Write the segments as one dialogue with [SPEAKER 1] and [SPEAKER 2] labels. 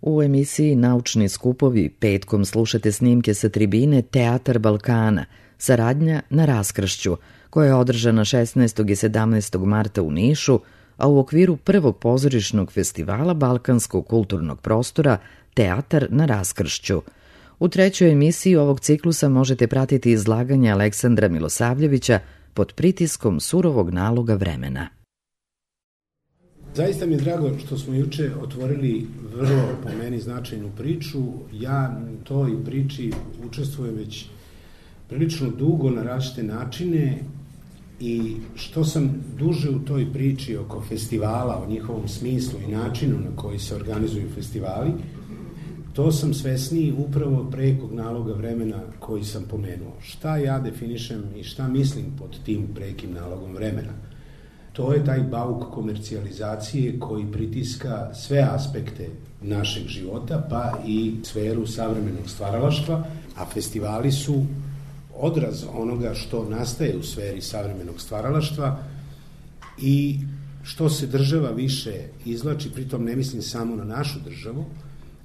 [SPEAKER 1] U emisiji Naučni skupovi petkom slušate snimke sa tribine Teatar Balkana, saradnja na raskršću, koja je održana 16. i 17. marta u Nišu, a u okviru prvog pozorišnog festivala Balkanskog kulturnog prostora Teatar na raskršću. U trećoj emisiji ovog ciklusa možete pratiti izlaganje Aleksandra Milosavljevića Pod pritiskom surovog naloga vremena.
[SPEAKER 2] Zaista mi je drago što smo juče otvorili vrlo, po meni, značajnu priču. Ja u toj priči učestvujem već prilično dugo na različite načine i što sam duže u toj priči oko festivala, o njihovom smislu i načinu na koji se organizuju festivali, to sam svesniji upravo prekog naloga vremena koji sam pomenuo. Šta ja definišem i šta mislim pod tim prekim nalogom vremena? To je taj bauk komercijalizacije koji pritiska sve aspekte našeg života, pa i sferu savremenog stvaralaštva, a festivali su odraz onoga što nastaje u sferi savremenog stvaralaštva i što se država više izvlači, pritom ne mislim samo na našu državu,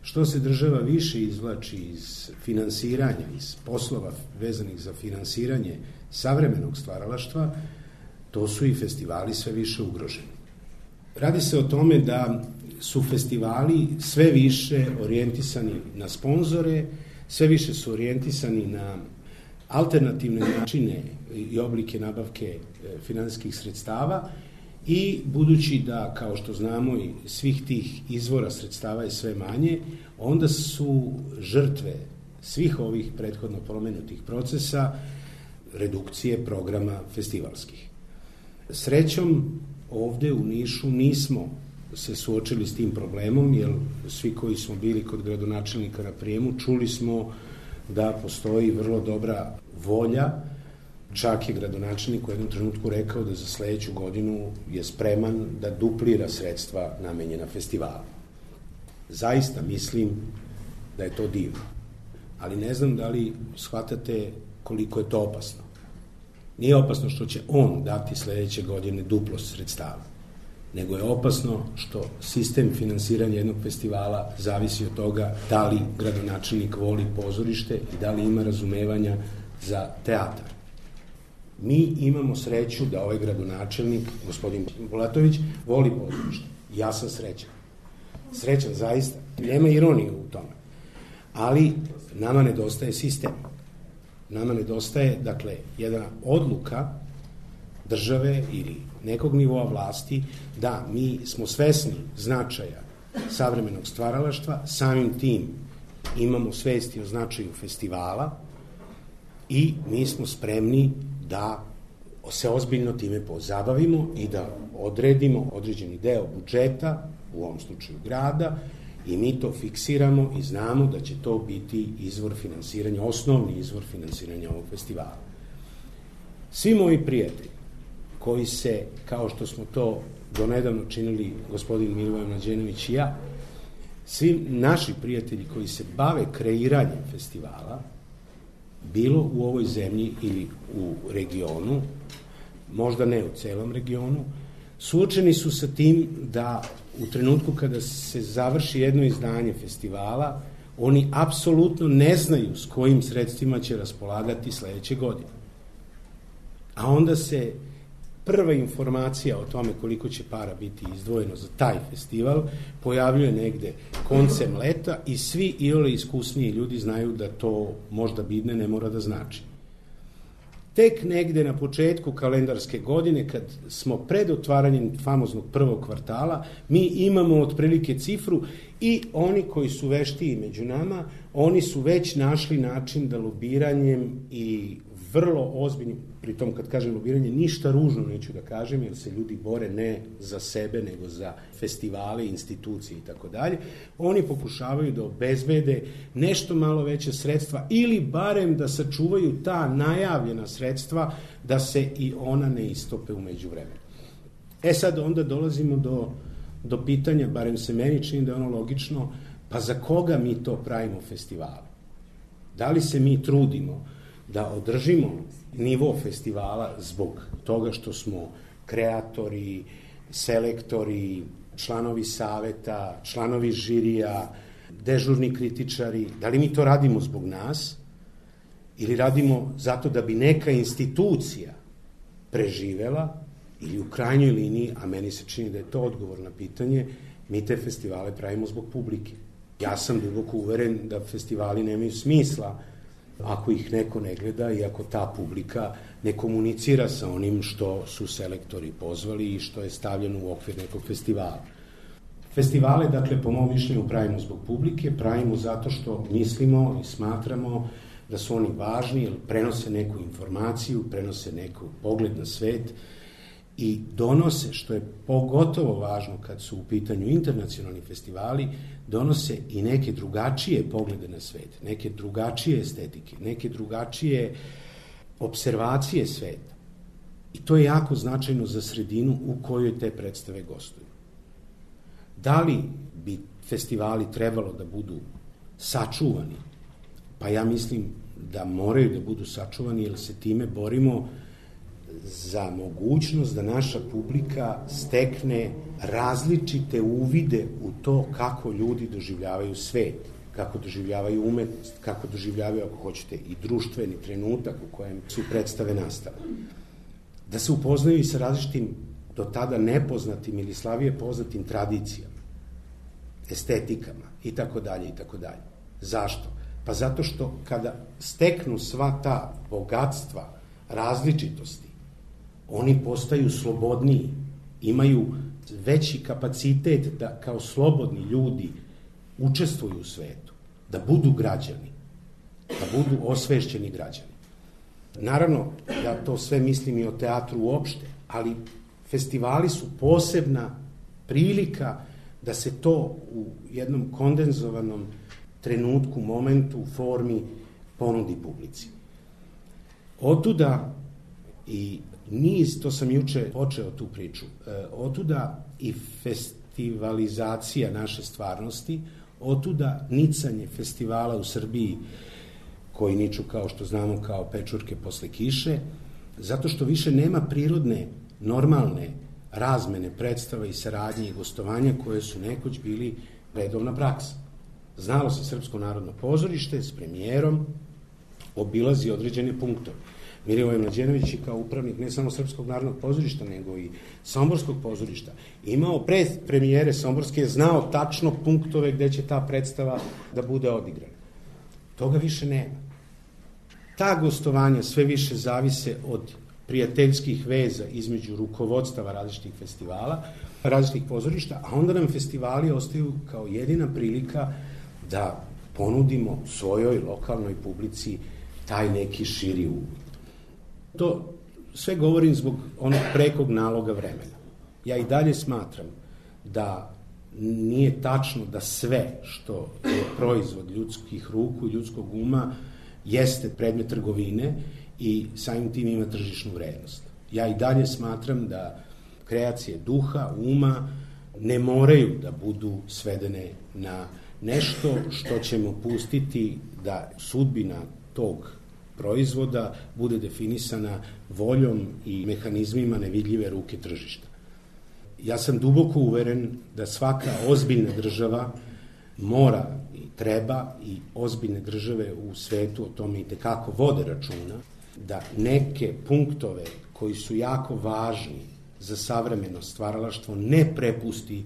[SPEAKER 2] što se država više izvlači iz finansiranja, iz poslova vezanih za finansiranje savremenog stvaralaštva, to su i festivali sve više ugroženi. Radi se o tome da su festivali sve više orijentisani na sponzore, sve više su orijentisani na alternativne načine i oblike nabavke finansijskih sredstava i budući da, kao što znamo, i svih tih izvora sredstava je sve manje, onda su žrtve svih ovih prethodno pomenutih procesa redukcije programa festivalskih. Srećom, ovde u Nišu nismo se suočili s tim problemom, jer svi koji smo bili kod gradonačelnika na prijemu čuli smo da postoji vrlo dobra volja. Čak je gradonačelnik u jednom trenutku rekao da za sledeću godinu je spreman da duplira sredstva namenjena festivalu. Zaista mislim da je to divno, ali ne znam da li shvatate koliko je to opasno. Nije opasno što će on dati sledeće godine duplo sredstava, nego je opasno što sistem finansiranja jednog festivala zavisi od toga da li gradonačelnik voli pozorište i da li ima razumevanja za teatar. Mi imamo sreću da ovaj gradonačelnik, gospodin Bulatović, voli pozorište. Ja sam srećan. Srećan zaista. Nema ironije u tome. Ali nama nedostaje sistem. Nama nedostaje, dakle, jedna odluka države ili nekog nivoa vlasti da mi smo svesni značaja savremenog stvaralaštva, samim tim imamo svesti o značaju festivala i mi smo spremni da se ozbiljno time pozabavimo i da odredimo određeni deo budžeta, u ovom slučaju grada, i mi to fiksiramo i znamo da će to biti izvor finansiranja, osnovni izvor finansiranja ovog festivala. Svi moji prijatelji koji se, kao što smo to donedavno činili gospodin Milivoje Mlađenović i ja, svi naši prijatelji koji se bave kreiranjem festivala, bilo u ovoj zemlji ili u regionu, možda ne u celom regionu, suočeni su sa tim da u trenutku kada se završi jedno izdanje festivala, oni apsolutno ne znaju s kojim sredstvima će raspolagati sledeće godine. A onda se prva informacija o tome koliko će para biti izdvojeno za taj festival pojavljuje negde koncem leta i svi iole iskusniji ljudi znaju da to možda bidne ne mora da znači. Tek negde na početku kalendarske godine, kad smo pred otvaranjem famoznog prvog kvartala, mi imamo otprilike cifru i oni koji su veštiji među nama, oni su već našli način da lobiranjem i vrlo ozbiljnim, pritom kad kažem lobiranje, ništa ružno neću da kažem, jer se ljudi bore ne za sebe, nego za festivale, institucije i tako dalje. Oni pokušavaju da obezbede nešto malo veće sredstva ili barem da sačuvaju ta najavljena sredstva da se i ona ne istope u međuvremenu. Sad onda dolazimo do pitanja, barem se meni čini da je ono logično, pa za koga mi to pravimo festivale? Da li se mi trudimo da održimo nivo festivala zbog toga što smo kreatori, selektori, članovi saveta, članovi žirija, dežurni kritičari, da li mi to radimo zbog nas ili radimo zato da bi neka institucija preživela ili u krajnjoj liniji, a meni se čini da je to odgovor na pitanje, mi te festivale pravimo zbog publike. Ja sam duboko uveren da festivali nemaju smisla ako ih neko ne gleda i ako ta publika ne komunicira sa onim što su selektori pozvali i što je stavljeno u okvir nekog festivala. Festivale, dakle, po mom mišljenju pravimo zbog publike, pravimo zato što mislimo i smatramo da su oni važni, jer prenose neku informaciju, prenose neku pogled na svet i donose, što je pogotovo važno kad su u pitanju internacionalni festivali, donose i neke drugačije poglede na svet, neke drugačije estetike, neke drugačije observacije sveta. I to je jako značajno za sredinu u kojoj te predstave gostuju. Da li bi festivali trebalo da budu sačuvani? Pa ja mislim da moraju da budu sačuvani, jer se time borimo za mogućnost da naša publika stekne različite uvide u to kako ljudi doživljavaju svet, kako doživljavaju umetnost, kako doživljavaju, ako hoćete, i društveni trenutak u kojem su predstave nastale. Da se upoznaju i sa različitim, do tada nepoznatim ili slabije poznatim tradicijama, estetikama itd. itd. Zašto? Pa zato što kada steknu sva ta bogatstva različitosti, oni postaju slobodniji, imaju veći kapacitet da kao slobodni ljudi učestvuju u svetu, da budu građani, da budu osvešćeni građani. Naravno, ja to sve mislim i o teatru uopšte, ali festivali su posebna prilika da se to u jednom kondenzovanom trenutku, momentu, formi ponudi publici. Otuda i niz, to sam juče počeo tu priču, otuda i festivalizacija naše stvarnosti, otuda nicanje festivala u Srbiji koji niču, kao što znamo, kao pečurke posle kiše, zato što više nema prirodne, normalne razmene predstava i saradnje i gostovanja koje su nekoć bili redovna praksa. Znalo se Srpsko narodno pozorište s premijerom obilazi određene punktove. Milivoje Mlađenović je kao upravnik ne samo Srpskog narodnog pozorišta, nego i Somborskog pozorišta imao pre premijere Somborske, znao tačno punktove gde će ta predstava da bude odigrana. Toga više nema. Ta gostovanja sve više zavise od prijateljskih veza između rukovodstava različitih festivala, različitih pozorišta, a onda nam festivali ostaju kao jedina prilika da ponudimo svojoj lokalnoj publici taj neki širi uvid. To sve govorim zbog onog prekog naloga vremena. Ja i dalje smatram da nije tačno da sve što je proizvod ljudskih ruku i ljudskog uma jeste predmet trgovine i samim tim ima tržišnu vrednost. Ja i dalje smatram da kreacije duha, uma ne moraju da budu svedene na nešto što ćemo pustiti da sudbina tog proizvoda bude definisana voljom i mehanizmima nevidljive ruke tržišta. Ja sam duboko uveren da svaka ozbiljna država mora i treba, i ozbiljne države u svetu o tome i tekako vode računa, da neke punktove koji su jako važni za savremeno stvaralaštvo ne prepusti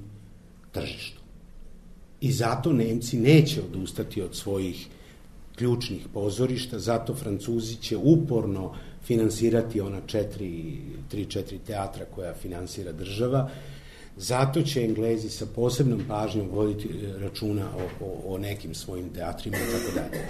[SPEAKER 2] tržištu. I zato Nemci neće odustati od svojih ključnih pozorišta, zato Francuzi će uporno finansirati ona 3-4 teatra koja finansira država, zato će Englezi sa posebnom pažnjom voditi računa o nekim svojim teatrima i tako dalje.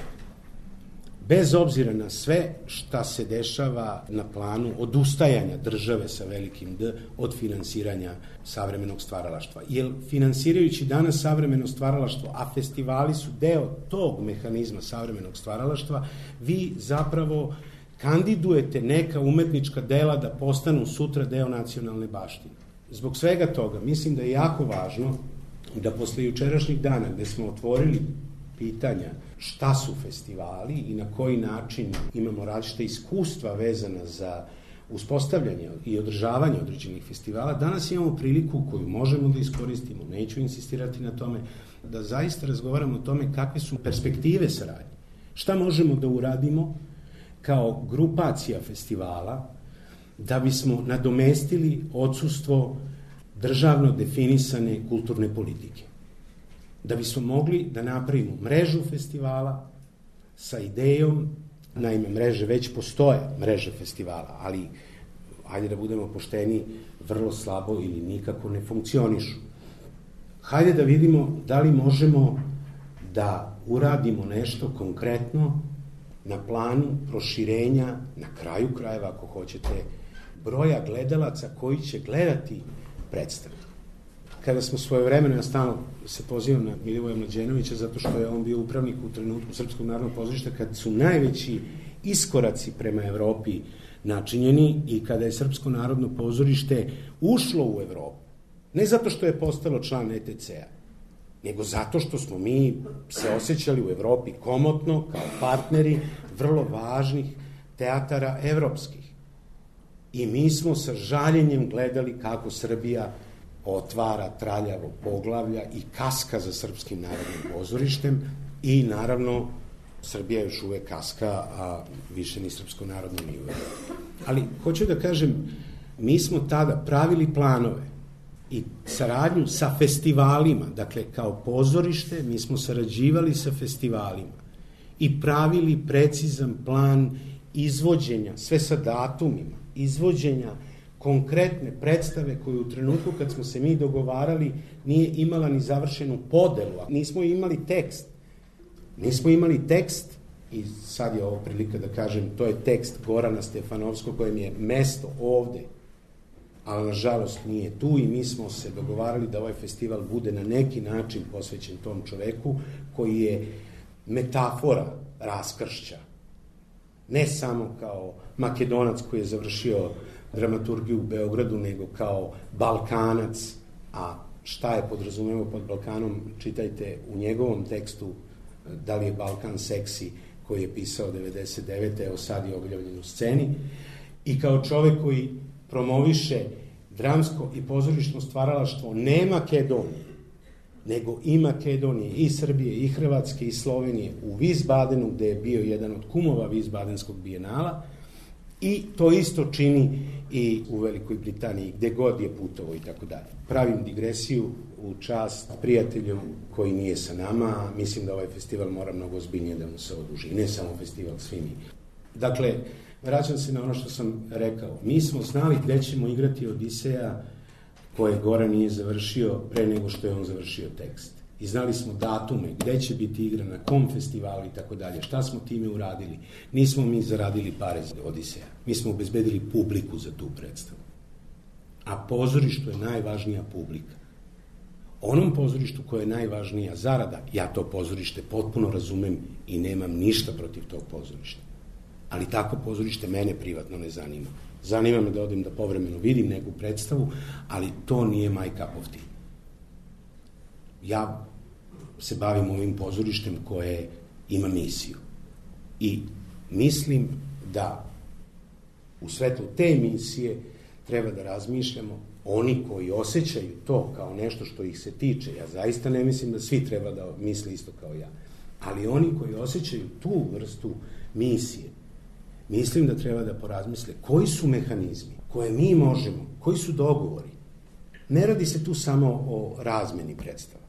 [SPEAKER 2] Bez obzira na sve šta se dešava na planu odustajanja države sa velikim D od finansiranja savremenog stvaralaštva. Jer finansirajući danas savremeno stvaralaštvo, a festivali su deo tog mehanizma savremenog stvaralaštva, vi zapravo kandidujete neka umetnička dela da postanu sutra deo nacionalne baštine. Zbog svega toga mislim da je jako važno da posle jučerašnjih dana gde smo otvorili pitanja šta su festivali i na koji način imamo različite iskustva vezana za uspostavljanje i održavanje određenih festivala, danas imamo priliku koju možemo da iskoristimo, neću insistirati na tome, da zaista razgovaramo o tome kakve su perspektive saradnje. Šta možemo da uradimo kao grupacija festivala da bismo nadomestili odsustvo državno definisane kulturne politike. Da bismo mogli da napravimo mrežu festivala sa idejom, naime mreže već postoje, mreže festivala, ali hajde da budemo pošteni, vrlo slabo ili nikako ne funkcionišu. Hajde da vidimo da li možemo da uradimo nešto konkretno na planu proširenja, na kraju krajeva ako hoćete, broja gledalaca koji će gledati predstavu. Kada smo svojevremeno, ja stalno se pozivam na Milivoja Mlađenovića zato što je on bio upravnik u trenutku Srpskog narodnog pozorišta kad su najveći iskoraci prema Evropi načinjeni i kada je Srpsko narodno pozorište ušlo u Evropu. Ne zato što je postalo član ETC-a, nego zato što smo mi se osjećali u Evropi komotno kao partneri vrlo važnih teatara evropskih. I mi smo sa žaljenjem gledali kako Srbija otvara traljavo poglavlja i kaska za Srpskim narodnim pozorištem i naravno Srbija još uvek kaska, a više ni Srpsko narodno ni uvek. Ali hoću da kažem, mi smo tada pravili planove i saradnju sa festivalima, dakle kao pozorište mi smo sarađivali sa festivalima i pravili precizan plan izvođenja, sve sa datumima, izvođenja konkretne predstave koju u trenutku kad smo se mi dogovarali nije imala ni završenu podelu, nismo imali tekst. Nismo imali tekst i sad je ovo prilika da kažem, to je tekst Gorana Stefanovskog kojem je mesto ovde, ali nažalost nije tu i mi smo se dogovarali da ovaj festival bude na neki način posvećen tom čoveku koji je metafora raskršća. Ne samo kao Makedonac koji je završio dramaturgiju u Beogradu, nego kao Balkanac, a šta je podrazumevo pod Balkanom, čitajte u njegovom tekstu Da li je Balkan seksi, koji je pisao 99. Evo sad je objavljen u sceni, i kao čovek koji promoviše dramsko i pozorišno stvaralaštvo ne Makedonije, nego i Makedonije, i Srbije, i Hrvatske, i Slovenije, u Wiesbadenu, gde je bio jedan od kumova Wiesbadenskog bijenala, i to isto čini i u Velikoj Britaniji, gde god je putovo i tako dalje. Pravim digresiju u čast prijatelju koji nije sa nama, mislim da ovaj festival mora mnogo ozbiljnije da mu se oduži, ne samo festival, svi mi. Dakle, vraćam se na ono što sam rekao. Mi smo znali gde ćemo igrati Odiseja koje Goran nije završio pre nego što je on završio tekst. I znali smo datume, gde će biti igra, na kom festivalu i tako dalje. Šta smo time uradili? Nismo mi zaradili pare za Odiseja. Mi smo obezbedili publiku za tu predstavu. A pozorištu je najvažnija publika. Onom pozorištu koje je najvažnija zarada, ja to pozorište potpuno razumem i nemam ništa protiv tog pozorišta. Ali tako pozorište mene privatno ne zanima. Zanima me da odem da povremeno vidim neku predstavu, ali to nije my cup of tea. Ja se bavim ovim pozorištem koje ima misiju. I mislim da u svetlu te misije treba da razmišljamo oni koji osjećaju to kao nešto što ih se tiče. Ja zaista ne mislim da svi treba da misle isto kao ja. Ali oni koji osjećaju tu vrstu misije, mislim da treba da porazmisle koji su mehanizmi koje mi možemo, koji su dogovori. Ne radi se tu samo o razmeni predstava.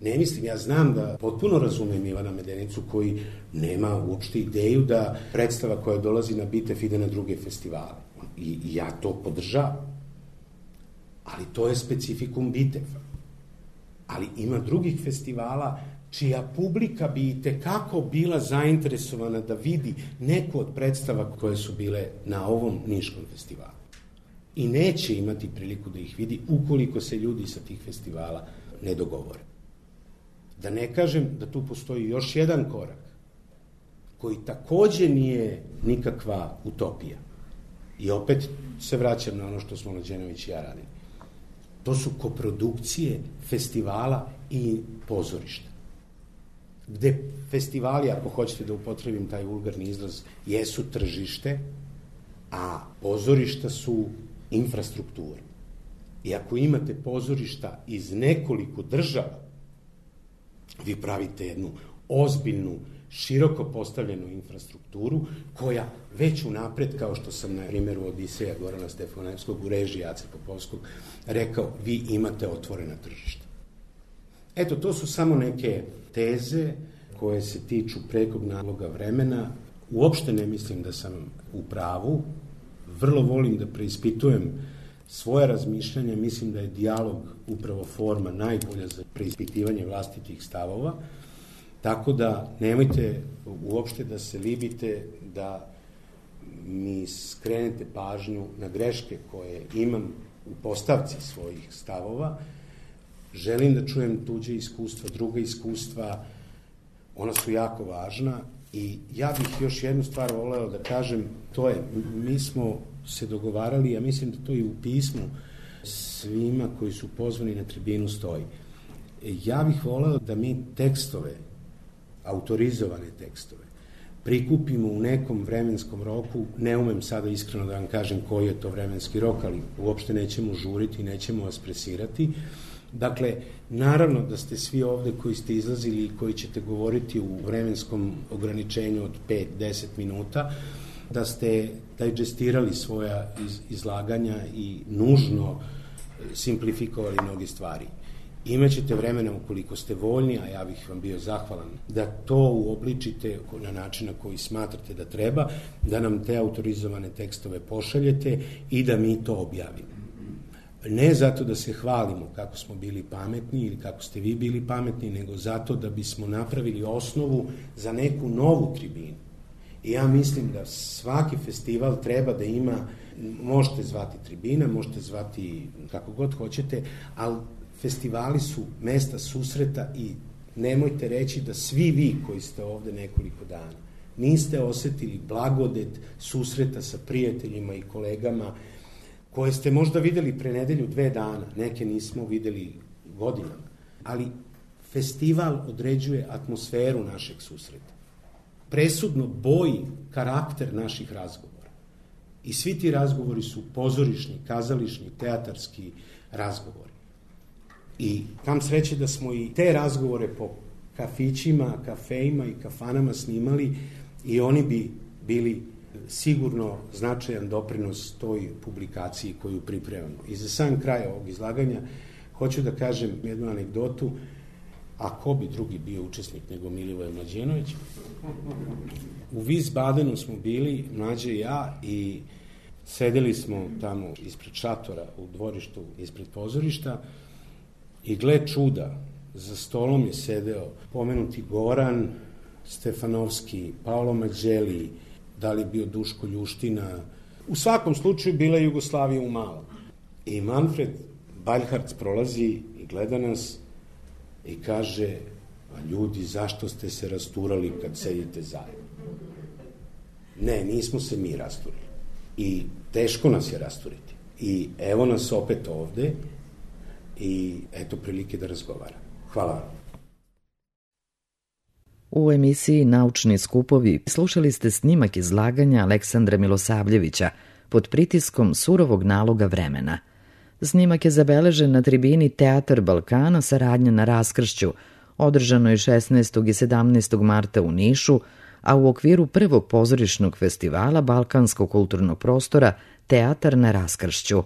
[SPEAKER 2] Ne mislim, ja znam da potpuno razumem Ivana Medenicu koji nema uopšte ideju da predstava koja dolazi na Bitev ide na druge festivale. I ja to podržavam. Ali to je specifikum Biteva. Ali ima drugih festivala čija publika bi i tekako bila zainteresovana da vidi neku od predstava koje su bile na ovom Niškom festivalu. I neće imati priliku da ih vidi ukoliko se ljudi sa tih festivala ne dogovore. Da ne kažem da tu postoji još jedan korak koji takođe nije nikakva utopija. I opet se vraćam na ono što smo Mlađenović i ja radili. To su koprodukcije festivala i pozorišta. Gde festivali, ako hoćete da upotrebim taj vulgarni izraz, jesu tržište, a pozorišta su infrastruktura. I ako imate pozorišta iz nekoliko država, Vi pravite jednu ozbiljnu, široko postavljenu infrastrukturu koja već unapred, kao što sam na primjeru Odiseja Gorana Stefanevskog u režiji Ace Popovskog rekao, vi imate otvorena tržišta. Eto, to su samo neke teze koje se tiču prekog naloga vremena. Uopšte ne mislim da sam u pravu. Vrlo volim da preispitujem svoje razmišljanje. Mislim da je dijalog upravo forma najbolja za preispitivanje vlastitih stavova. Tako da nemojte uopšte da se libite da mi skrenete pažnju na greške koje imam u postavci svojih stavova. Želim da čujem tuđe iskustva, druga iskustva, ona su jako važna i ja bih još jednu stvar voleo da kažem, to je, mi smo se dogovarali, ja mislim da to i u pismu svima koji su pozvani na tribinu stoji. Ja bih voleo da mi tekstove, autorizovane tekstove, prikupimo u nekom vremenskom roku, ne umem sada iskreno da vam kažem koji je to vremenski rok, ali uopšte nećemo žuriti, nećemo vas presirati. Dakle, naravno da ste svi ovde koji ste izlazili i koji ćete govoriti u vremenskom ograničenju od 5-10 minuta, da ste digestirali svoja izlaganja i nužno simplifikovali mnoge stvari. Imaćete vremena ukoliko ste voljni, a ja bih vam bio zahvalan, da to uobličite na način na koji smatrate da treba, da nam te autorizovane tekstove pošaljete i da mi to objavimo. Ne zato da se hvalimo kako smo bili pametni ili kako ste vi bili pametni, nego zato da bismo napravili osnovu za neku novu tribinu. I ja mislim da svaki festival treba da ima, možete zvati tribina, možete zvati kako god hoćete, ali festivali su mesta susreta i nemojte reći da svi vi koji ste ovde nekoliko dana niste osetili blagodet susreta sa prijateljima i kolegama koje ste možda videli pre nedelju, 2 dana, neke nismo videli godinama, ali festival određuje atmosferu našeg susreta. Presudno boji karakter naših razgovora. I svi ti razgovori su pozorišni, kazališni, teatarski razgovori. I kam sreće da smo i te razgovore po kafićima, kafejima i kafanama snimali i oni bi bili sigurno značajan doprinos toj publikaciji koju pripremamo. I za sam kraj ovog izlaganja hoću da kažem jednu anegdotu, a ko bi drugi bio učesnik nego Milivoje Mlađenović. U Wiesbadenu smo bili, Mlađe i ja, i sedeli smo tamo ispred šatora u dvorištu ispred pozorišta i gle čuda, za stolom je sedeo pomenuti Goran Stefanovski, Paolo Mađeli, da li bio Duško Ljuština. U svakom slučaju bila je Jugoslavija u malom. I Manfred Baljharc prolazi i gleda nas i kaže, a ljudi, zašto ste se rasturali kad sedite zajedno? Ne, nismo se mi rasturili. I teško nas je rasturiti. I evo nas opet ovde i eto prilike da razgovaram. Hvala vam.
[SPEAKER 1] U emisiji Naučni skupovi slušali ste snimak izlaganja Aleksandra Milosavljevića pod pritiskom surovog naloga vremena. Snimak je zabeležen na tribini Teatar Balkana Saradnja na raskršću, održanoj 16. i 17. marta u Nišu, a u okviru prvog pozorišnog festivala Balkanskog kulturnog prostora Teatar na raskršću.